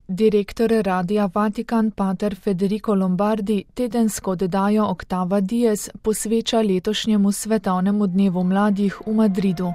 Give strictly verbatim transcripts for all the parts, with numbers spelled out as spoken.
Direktor Radia Vatikan pater Federico Lombardi tedensko oddajo Octava Dies posveča letošnjemu svetovnemu dnevu mladih v Madridu.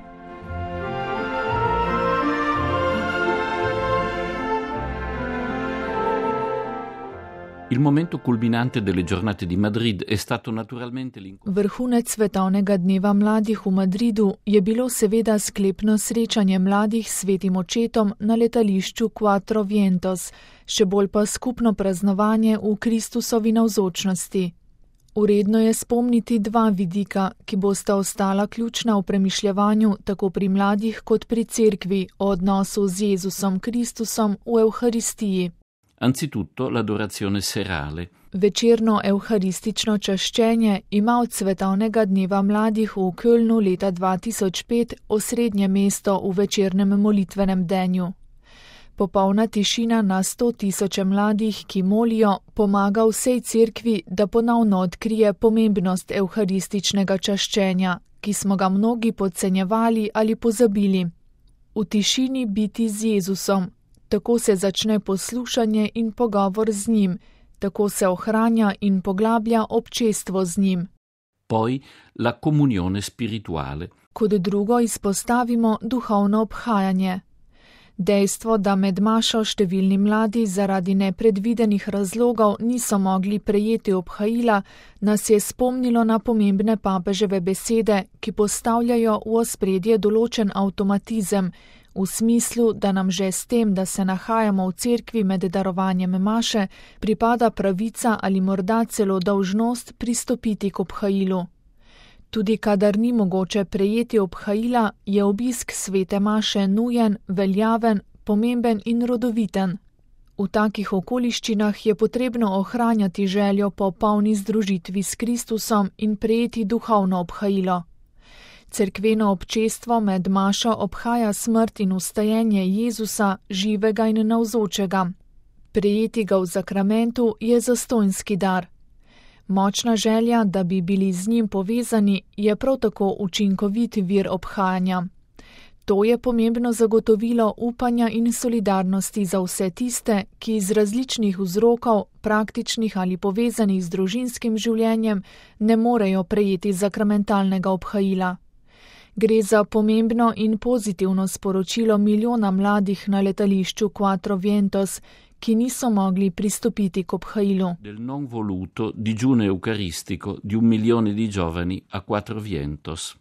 Il momento culminante delle giornate di Madrid è stato naturalmente l'incontro. Vrhunec svetovnega dneva mladih v Madridu je bilo seveda sklepno srečanje mladih s svetim očetom na letališču Quattro Vientos, še bolj pa skupno praznovanje v Kristusovi navzočnosti. Uredno je spomniti dva vidika, ki bosta ostala ključna v premišljevanju tako pri mladih kot pri cerkvi o odnosu z Jezusom Kristusom v Evharistiji. Anzitutto l'adorazione serale. Večerno evharistično čaščenje ima od svetovnega dneva mladih v Kölnu leta dva tisoč pet osrednje mesto v večernem molitvenem denju. Popolna tišina na sto tisoče mladih, ki molijo, pomaga vsej cerkvi, da ponovno odkrije pomembnost evharističnega čaščenja, ki smo ga mnogi podcenjevali ali pozabili. V tišini biti z Jezusom. Tako se začne poslušanje in pogovor z njim, tako se ohranja in poglablja občestvo z njim. Poi la comunione spirituale. Kot drugo izpostavimo duhovno obhajanje. Dejstvo, da med mašo številni mladi zaradi nepredvidenih razlogov niso mogli prejeti obhajila, nas je spomnilo na pomembne papeževe besede, ki postavljajo v ospredje določen avtomatizem, v smislu, da nam že s tem, da se nahajamo v cerkvi med darovanjem maše, pripada pravica ali morda celo dolžnost pristopiti k obhajilu. Tudi kadar ni mogoče prejeti obhajila, je obisk svete maše nujen, veljaven, pomemben in rodoviten. V takih okoliščinah je potrebno ohranjati željo po polni združitvi s Kristusom in prejeti duhovno obhajilo. Cerkveno občestvo med mašo obhaja smrt in vstajenje Jezusa, živega in navzočega. Prejeti ga v zakramentu je zastonjski dar. Močna želja, da bi bili z njim povezani, je prav tako učinkovit vir obhajanja. To je pomembno zagotovilo upanja in solidarnosti za vse tiste, ki iz različnih vzrokov, praktičnih ali povezanih z družinskim življenjem, ne morejo prejeti zakramentalnega obhajila. Gre za pomembno in pozitivno sporočilo milijona mladih na letališču Quattro Vientos, ki niso mogli pristopiti k obhajilu. Del non voluto digiuno eucaristico di un milione di giovani a Quattro Vientos.